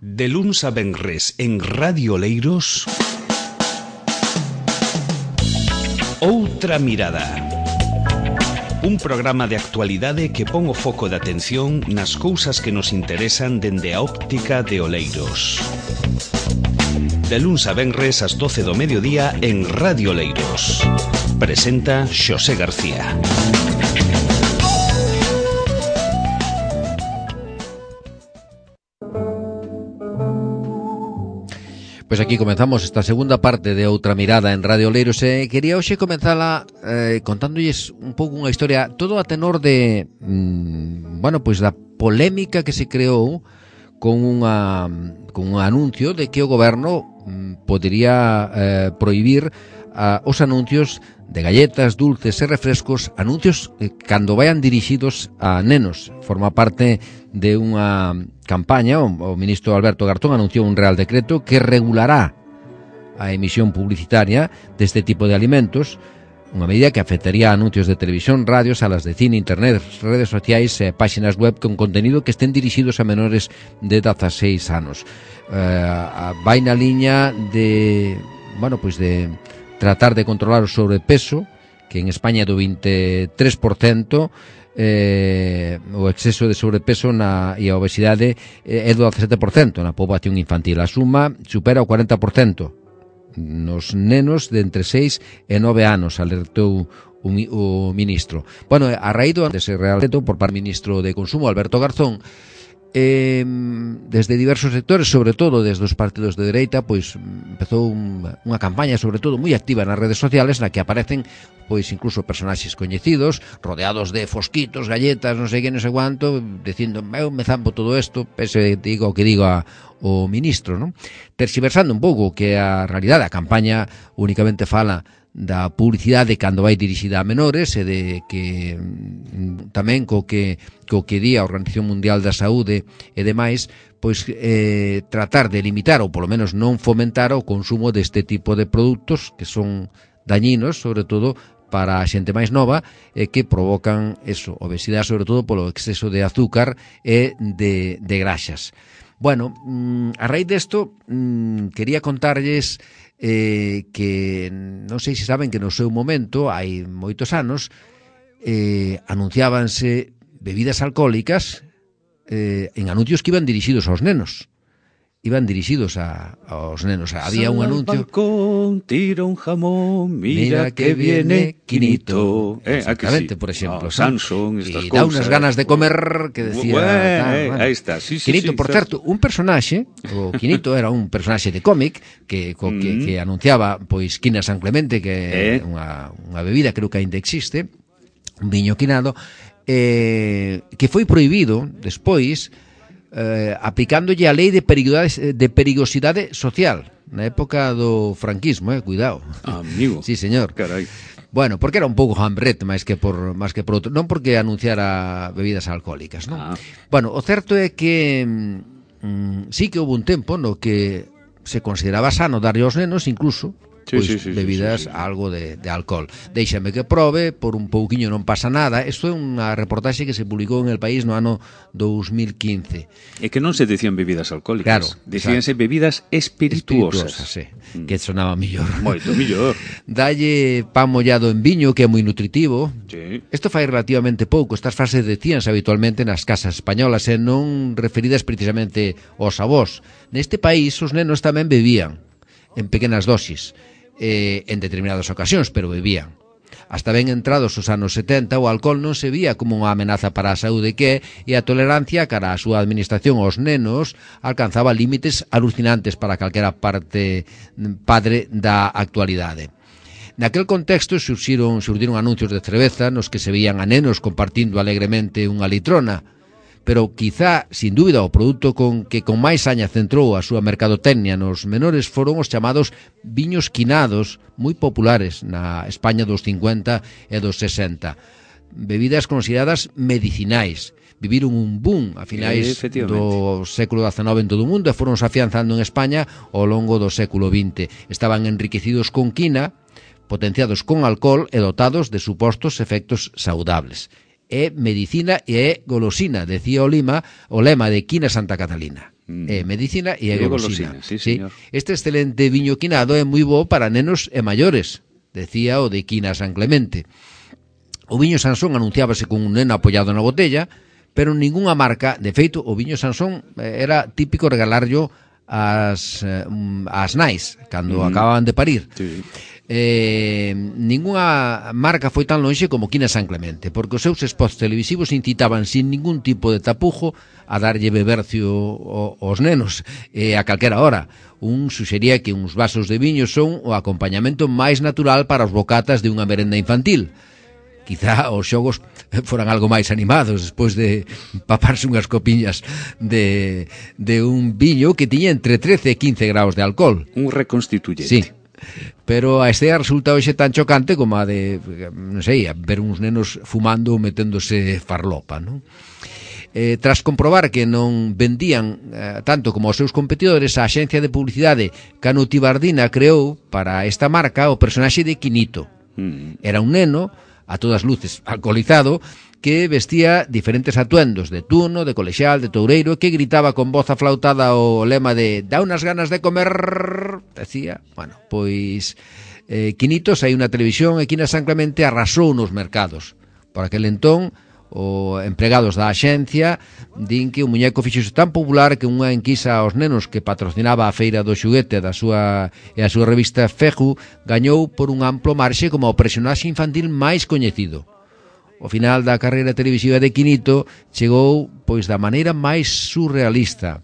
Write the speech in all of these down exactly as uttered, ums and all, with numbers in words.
De luns a venres en Radio Oleiros, Outra Mirada. Un programa de actualidade que pon o foco de atención nas cousas que nos interesan dende a óptica de Oleiros. De luns a venres ás doce do mediodía en Radio Oleiros. Presenta Xosé García. Pois aquí comenzamos esta segunda parte de Outra Mirada en Radio Oleiros. E quería hoxe comenzala eh, contándolles un pouco unha historia, todo a tenor de, mmm, bueno, pois da polémica que se creou con unha con un anuncio de que o goberno mmm, podería eh, prohibir a, os anuncios de galletas, dulces e refrescos, anuncios eh, cando vayan dirixidos a nenos. Forma parte de unha campaña, o, o ministro Alberto Garzón anunciou un real decreto que regulará a emisión publicitaria deste tipo de alimentos, unha medida que afectaría a anuncios de televisión, radio, salas de cine, internet, redes sociais e páxinas web con contenido que estén dirixidos a menores de dezaseis anos. Uh, vai na liña de, bueno, pois de tratar de controlar o sobrepeso, que en España é do veintitrés por cento, eh, o exceso de sobrepeso na, e a obesidade é do dezasete por cento na poboación infantil. A suma supera o cuarenta por cento nos nenos de entre seis e nove anos, alertou o, o ministro. Bueno, a raíz do dese real reto por parte do ministro de Consumo, Alberto Garzón, Eh, desde diversos sectores, sobre todo desde os partidos de dereita, pois empezou un, unha campaña sobre todo moi activa nas redes sociales na que aparecen pois incluso personaxes coñecidos rodeados de fosquitos, galletas, non sei que, non sei cuánto, dicindo, eu me zampo todo isto, pese digo o que digo a, o ministro, non? Terxiversando un pouco que a realidade, a campaña únicamente fala da publicidade cando vai dirixida a menores e de que tamén co que co que di a Organización Mundial da Saúde e demais, pois eh, tratar de limitar ou polo menos non fomentar o consumo deste tipo de produtos que son dañinos, sobre todo para a xente máis nova, e que provocan eso, obesidade, sobre todo polo exceso de azúcar e de, de graxas. Bueno, a raíz desto quería contarlles eh, que non sei se saben que no seu momento, hai moitos anos, eh, anunciábanse bebidas alcohólicas eh, en anuncios que iban dirixidos aos nenos. Iban dirixidos a, aos nenos. Había un anuncio. Balcón, tira un jamón, mira, mira que viene Quinito. Eh, Exactamente, sí. Por exemplo. Oh, Samsung, estas y cosas. da unas ganas de comer que decía... Bueno, tal, eh, bueno. Aí está, sí, sí, Quinito, sí, por certo. certo, un personaxe, o Quinito era un personaxe de cómic que, co, mm. que, que anunciaba pois Quina San Clemente, que é eh. unha, unha bebida, creo que ainda existe, un viño quinado, eh, que foi prohibido despois Eh, aplicándolle a lei de perigosidade, de perigosidade social na época do franquismo, eh, cuidado. Amigo. Sí, señor. Carai. Bueno, porque era un pouco hambrete máis que por máis que por outro, non porque anunciara bebidas alcohólicas, non? Ah. Bueno, o certo é que mm, sí que houve un tempo no que se consideraba sano darlle aos nenos incluso Sí, pois sí, sí, bebidas, sí, sí, sí. algo de, de alcohol. Déixame que probe, por un pouquiño non pasa nada. Isto é unha reportaxe que se publicou en El País no ano dos mil quince. É que non se decían bebidas alcohólicas, claro, decíanse bebidas espirituosas, espirituosas sí, mm. que sonaba millor. Moito millor. Dalle pan mollado en viño, que é moi nutritivo. Sí. Isto fai relativamente pouco. Estas frases decíanse habitualmente nas casas españolas e non referidas precisamente aos avós. Neste país os nenos tamén bebían en pequenas dosis, eh, en determinadas ocasións, pero bebían. Hasta ben entrados os anos setenta, o alcohol non se vía como unha amenaza para a saúde que e a tolerancia cara a súa administración aos nenos alcanzaba límites alucinantes para calquera parte padre da actualidade. Naquel contexto surxiron, surdiron anuncios de cerveza nos que se veían a nenos compartindo alegremente unha litrona, pero quizá, sin dúbida, o produto con que con máis saña centrou a súa mercadotecnia nos menores foron os chamados viños quinados, moi populares na España dos cincuenta e dos sesenta. Bebidas consideradas medicinais. Viviron un boom a finais do século dezenove en todo o mundo e foron afianzando en España ao longo do século vinte. Estaban enriquecidos con quina, potenciados con alcohol e dotados de supostos efectos saudables. É medicina e é golosina, decía o, Lima, o lema de Quina Santa Catalina. mm. eh, medicina e a golosina. Sí, sí. Este excelente viño quinado é moi bo para nenos e maiores, decía o de Quina San Clemente. O viño Sansón anunciábase con un neno apoiado na botella, pero ningunha marca, de feito, o viño Sansón era típico regalarlo as, as nais, cando mm. acababan de parir. Sí. Eh, ningunha marca foi tan lonxe como Quina San Clemente, porque os seus spots televisivos incitaban sin ningún tipo de tapujo a darlle bebercio aos nenos e a calquera hora. Un suxería que uns vasos de viño son o acompañamento máis natural para os bocatas de unha merenda infantil. Quizá os xogos foran algo máis animados despois de paparse unhas copiñas de, de un viño que tiña entre trece e quince graus de alcohol. Un reconstituyente. Sí. Pero a estea resulta hoxe tan chocante como a de, non sei, a ver uns nenos fumando ou meténdose farlopa, non? Eh, tras comprobar que non vendían eh, tanto como os seus competidores, a axencia de publicidade Canutibardina creou para esta marca o personaxe de Quinito. Mm. Era un neno, a todas luces alcoholizado, que vestía diferentes atuendos de tuno, de colexial, de toureiro, que gritaba con voz aflautada o lema de "dá unas ganas de comer", decía. Bueno, pois eh, Quinito saiu na televisión e Quina San Clemente arrasou nos mercados. Por aquel entón, os empregados da axencia din que o muñeco fixose tan popular que unha enquisa aos nenos que patrocinaba a feira do xuguete da súa e a súa revista Feju gañou por un amplo marxe como o personaxe infantil máis coñecido. O final da carreira televisiva de Quinito chegou pois da maneira máis surrealista.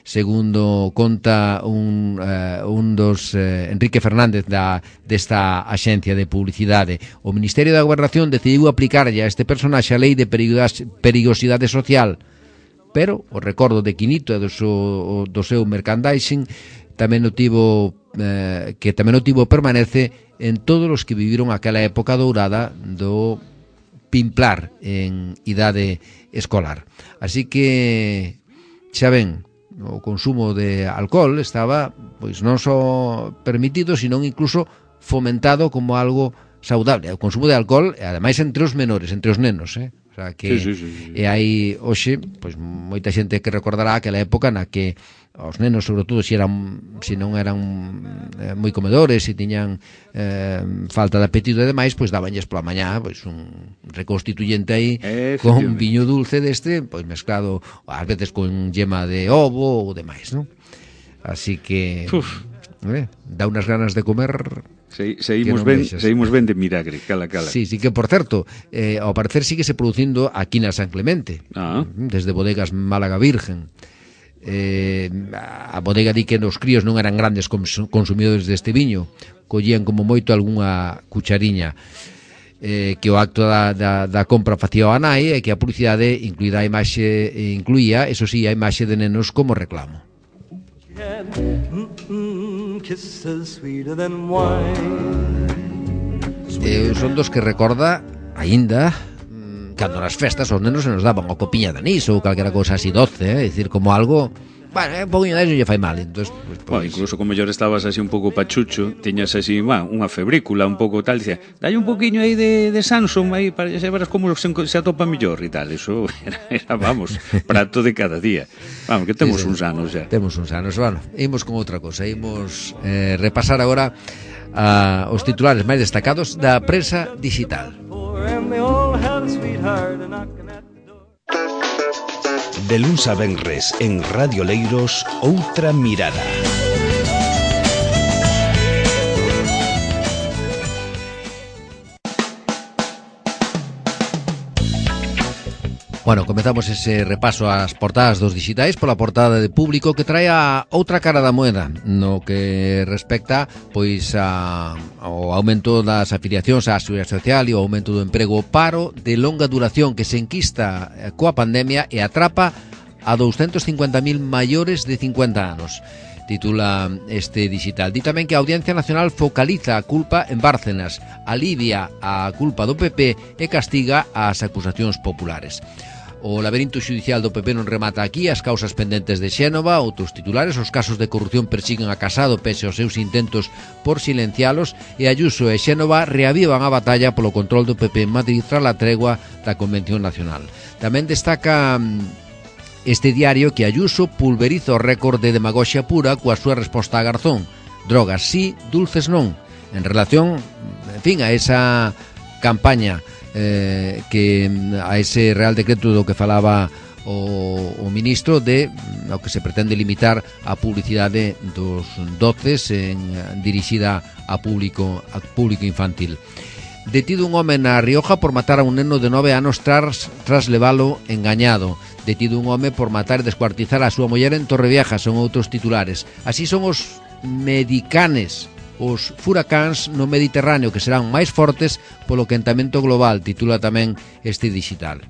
Segundo conta un, uh, un dos uh, Enrique Fernández da, desta axencia de publicidade, o Ministerio da Gobernación decidiu aplicarlle a este personaxe a lei de perigosidade social, pero o recordo de Quinito e do seu, do seu merchandising tamén o tivo, uh, que tamén o tivo permanece en todos os que viviron aquela época dourada do pimplar en idade escolar. Así que, xa ven, o consumo de alcohol estaba pois non só permitido, sino incluso fomentado como algo saudable. O consumo de alcohol, ademais entre os menores, entre os nenos, eh? O sea que sí, sí, sí, sí. E hai hoxe pois moita xente que recordará aquela época na que os nenos, sobre todo, se eran se non eran eh, moi comedores, se tiñan eh, falta de apetito e demais, pois dabanlles pola mañá pois un reconstituyente aí con viño dulce deste, pois mezclado ás veces con yema de ovo ou demais, non? Así que eh, dá unas ganas de comer. Se, seguimos, ben, seguimos ben de milagre, cala, cala. Sí, sí que, por certo, eh, ao parecer sigue se producindo aquí na San Clemente, ah. desde bodegas Málaga Virgen. Eh, a bodega di que os críos non eran grandes consumidores deste viño, collían como moito algunha cuchariña, eh, que o acto da, da, da compra facía a nai e que a publicidade incluída a imaxe, incluía, eso sí, a imaxe de nenos como reclamo. Eh, son dos que recorda aínda cando nas festas os nenos se nos daban o copiña de anís ou calquera cousa así doce, eh? É dicir, como algo, bueno, un poquinho de eso lle fai mal. Entonces, pues, pues, bueno, incluso como mellor estabas así un pouco pachucho, tiñas así, bueno, unha febrícula un pouco tal, dicía, dalle un poquinho aí de, de Samsung aí para que se veras como se, se atopa mellor e tal. Eso era, era, vamos, prato de cada día. Vamos, que temos sí, sí, uns anos xa. Temos uns anos, bueno, imos con outra cosa, imos eh, repasar agora a, os titulares máis destacados da prensa digital. De luns a venres en Radio Leiros, Outra Mirada. Bueno, comezamos ese repaso ás portadas dos digitais pola portada de Público, que trae a outra cara da moeda no que respecta pois a, ao aumento das afiliacións á Seguridade Social e ao aumento do emprego. O paro de longa duración que se enquista coa pandemia e atrapa a doscientos cincuenta mil maiores de cincuenta anos, titula este digital. Di tamén que a Audiencia Nacional focaliza a culpa en Bárcenas, alivia a culpa do P P e castiga as acusacións populares. O laberinto xudicial do P P non remata aquí, as causas pendentes de Xénova, outros titulares, os casos de corrupción persiguen a Casado pese aos seus intentos por silencialos, e Ayuso e Xénova reavivan a batalla polo control do P P en Madrid tras a tregua da Convención Nacional. Tamén destaca este diario que Ayuso pulveriza o récord de demagoxia pura coa súa resposta a Garzón. Drogas sí, dulces non. En relación, en fin, a esa campaña eh, que a ese Real Decreto do que falaba o, o ministro de o que se pretende limitar a publicidade dos doces en, dirixida a público, a público infantil. Detido un home na Rioja por matar a un neno de nove anos tras, tras levalo engañado. Detido un home por matar e descuartizar a súa muller en Torrevieja, son outros titulares. Así son os medicanes, os furacáns no Mediterráneo, que serán máis fortes polo quentamento global, titula tamén este digital.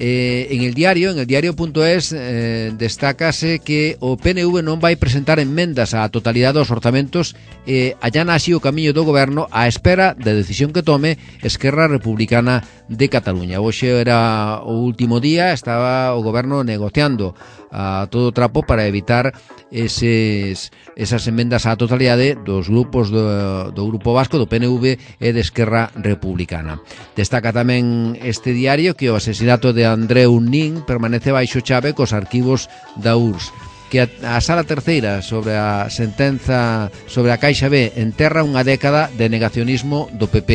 Eh, en el diario, en el diario.es eh, destácase que o P N V non vai presentar enmendas á totalidade dos orzamentos e eh, allana así o camiño do goberno á espera da decisión que tome Esquerra Republicana de Cataluña. Hoxe era o último día, estaba o goberno negociando a todo trapo para evitar eses, esas enmendas á totalidade dos grupos do, do Grupo Vasco, do P N V e de Esquerra Republicana. Destaca tamén este diario que o asesinato de Andreu Nin permanece baixo chave cos arquivos da U R S S, que a, a Sala Terceira sobre a sentenza sobre a Caixa B enterra unha década de negacionismo do P P,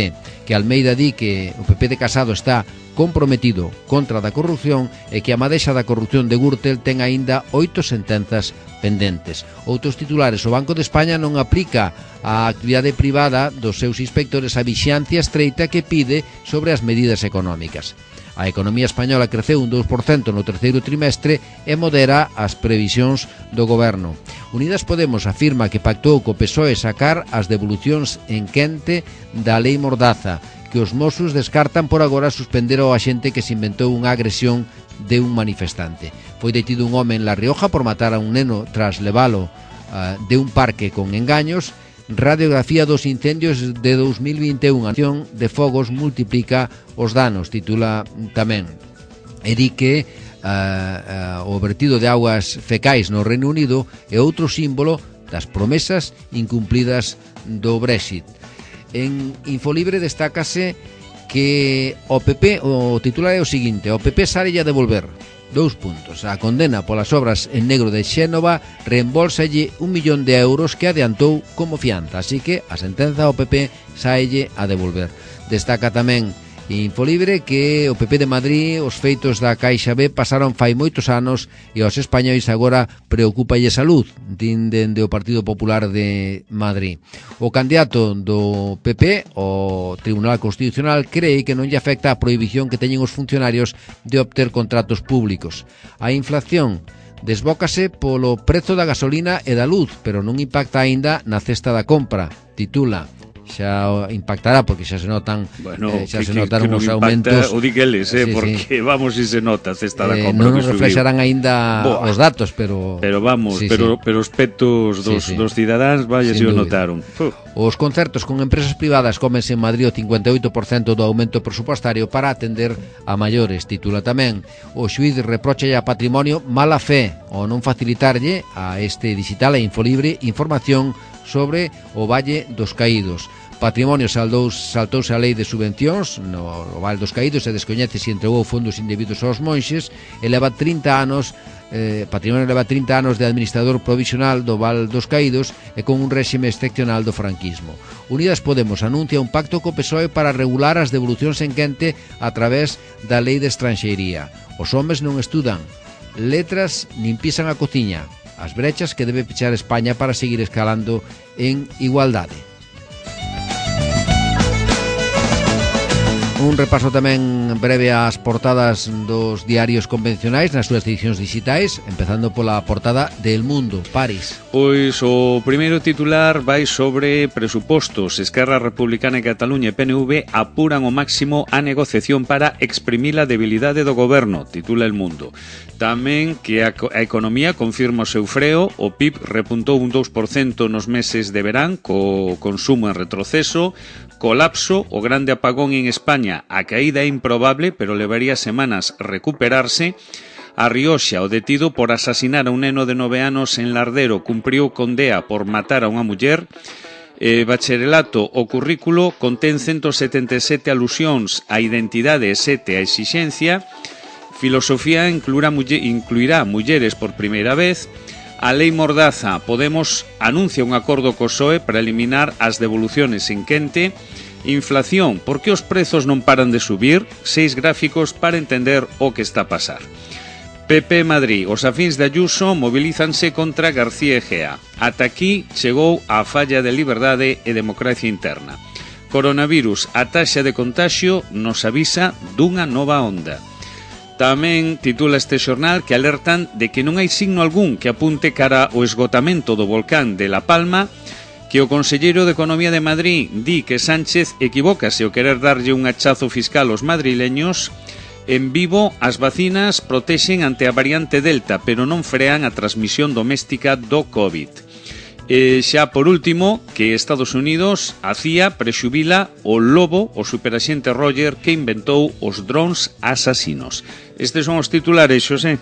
que Almeida di que o P P de Casado está comprometido contra da corrupción e que a madexa da corrupción de Gürtel ten aínda oito sentenzas pendentes. Outros titulares: o Banco de España non aplica a actividade privada dos seus inspectores a vixiancia estreita que pide sobre as medidas económicas. A economía española creceu un dous por cento no terceiro trimestre e modera as previsións do goberno. Unidas Podemos afirma que pactou co P S O E sacar as devolucións en quente da Lei Mordaza, que os Mossos descartan por agora suspender ao axente que se inventou unha agresión de un manifestante. Foi detido un home en La Rioja por matar a un neno tras levalo uh, de un parque con engaños. Radiografía dos incendios de dos mil vinte e un. A acción de fogos multiplica os danos, titula tamén. E di que uh, uh, o vertido de augas fecais no Reino Unido é outro símbolo das promesas incumplidas do Brexit. En Infolibre destácase que o P P, o titular é o seguinte: o P P sarelle a devolver dous puntos. A condena polas obras en negro de Xénova reembolsalle un millón de euros que adiantou como fianza, así que a sentenza ao P P saelle a devolver. Destaca tamén Infolibre que o P P de Madrid, os feitos da Caixa B pasaron fai moitos anos e aos españois agora preocúpalle salud, din dende o Partido Popular de Madrid. O candidato do P P, o Tribunal Constitucional, cree que non lle afecta a prohibición que teñen os funcionarios de obter contratos públicos. A inflación desbócase polo prezo da gasolina e da luz, pero non impacta aínda na cesta da compra, titula. Xa impactará porque xa se notan bueno, eh, xa que, se notaron que os aumentos. O digueles, eh, sí, porque sí. vamos si se nota a cesta da eh, compra. Non nos reflexarán aínda Boa. os datos, pero pero vamos, sí, pero sí. pero os petos dos, sí, sí. dos cidadáns vaya se o notaron. Uf. Os concertos con empresas privadas cómense en Madrid o cincuenta e oito por cento do aumento presupuestario para atender a maiores, titula tamén. O xuíz reprocha a Patrimonio mala fe ou non facilitarlle a este digital e Infolibre información sobre o Valle dos Caídos. Patrimonio saldou, saltouse a lei de subvencións no, no Val dos Caídos e descoñece se entregou fondos indebidos aos monxes e leva trinta anos eh, Patrimonio leva trinta anos de administrador provisional do Val dos Caídos e con un réxime excepcional do franquismo. Unidas Podemos anuncia un pacto co P S O E para regular as devolucións en quente a través da lei de estranxeiría. Os homes non estudan letras nin pisan a cociña, as brechas que debe pechar España para seguir escalando en igualdade. Un repaso tamén breve ás portadas dos diarios convencionais nas súas edicións digitais, empezando pola portada de El Mundo, París. Pois o primeiro titular vai sobre presupostos. Esquerra Republicana e Cataluña e P N V apuran ao máximo a negociación para exprimir a debilidade do goberno, titula El Mundo. Tamén que a, a economía confirma o seu freo, o P I B repuntou un dous por cento nos meses de verán, co consumo en retroceso, colapso, o grande apagón en España, a caída é improbable, pero levaría semanas recuperarse. A Rioxa, o detido por asasinar a un neno de nove anos en Lardero, cumpriu condea por matar a unha muller. Eh, bacharelato, o currículo contén ciento setenta e sete alusións á identidade e sete á exixencia. Filosofía incluirá, incluirá mulleres por primeira vez. A lei Mordaza, Podemos anuncia un acordo co P S O E para eliminar as devoluciones en quente. Inflación, por que os prezos non paran de subir? Seis gráficos para entender o que está a pasar. P P Madrid, os afíns de Ayuso mobilízanse contra García Egea. Ata aquí chegou a falla de liberdade e democracia interna. Coronavirus, a taxa de contagio nos avisa dunha nova onda. Tamén titula este xornal que alertan de que non hai signo algún que apunte cara ao esgotamento do volcán de La Palma, que o conselleiro de Economía de Madrid di que Sánchez equivócase ao querer darlle un hachazo fiscal aos madrileños. En Vivo, as vacinas protexen ante a variante Delta, pero non frean a transmisión doméstica do COVID. E xa por último, que Estados Unidos, a C I A prexubila o lobo, o superaxente Roger, que inventou os drones asasinos. Estes son os titulares, Xosé.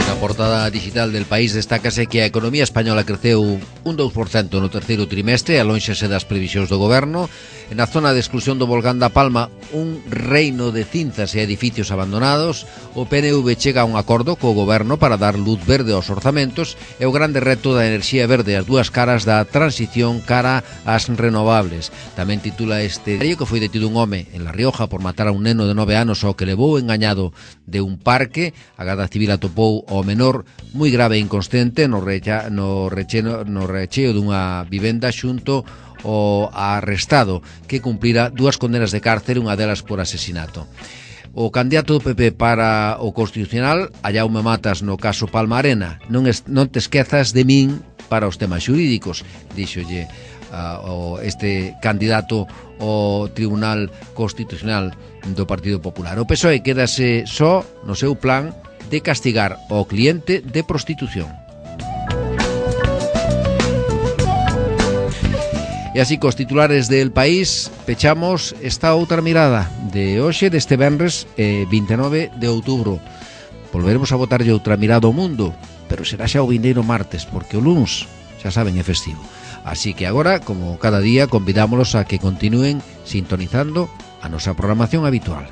Na portada digital del País destácase que a economía española creceu un dous por cento no terceiro trimestre, alónxase das previsións do goberno. En a zona de exclusión do volcán da Palma, un reino de cinzas e edificios abandonados. O P N V chega a un acordo co goberno para dar luz verde aos orzamentos e o grande reto da enerxía verde, as dúas caras da transición cara ás renovables. Tamén titula este diario que foi detido un home en La Rioja por matar a un neno de nove anos ao que levou engañado de un parque. A Garda Civil atopou ao menor moi grave e inconsciente no, recha, no, recheno, no recheo dunha vivenda xunto o arrestado, que cumplira dúas condenas de cárcel, unha delas por asesinato. O candidato do P P para o Constitucional, Jaume Matas, no caso Palma Arena: non, es, non te esquezas de min para os temas xurídicos, díxolle uh, o, este candidato ao Tribunal Constitucional do Partido Popular. O P S O E quedase só no seu plan de castigar ao cliente de prostitución. E así, cos titulares del País, pechamos esta outra mirada de hoxe, deste venres eh, vinte e nove de outubro. Volveremos a botarlle outra mirada ao mundo, pero será xa o vindeiro martes, porque o luns, xa saben, é festivo. Así que agora, como cada día, convidámolos a que continúen sintonizando a nosa programación habitual.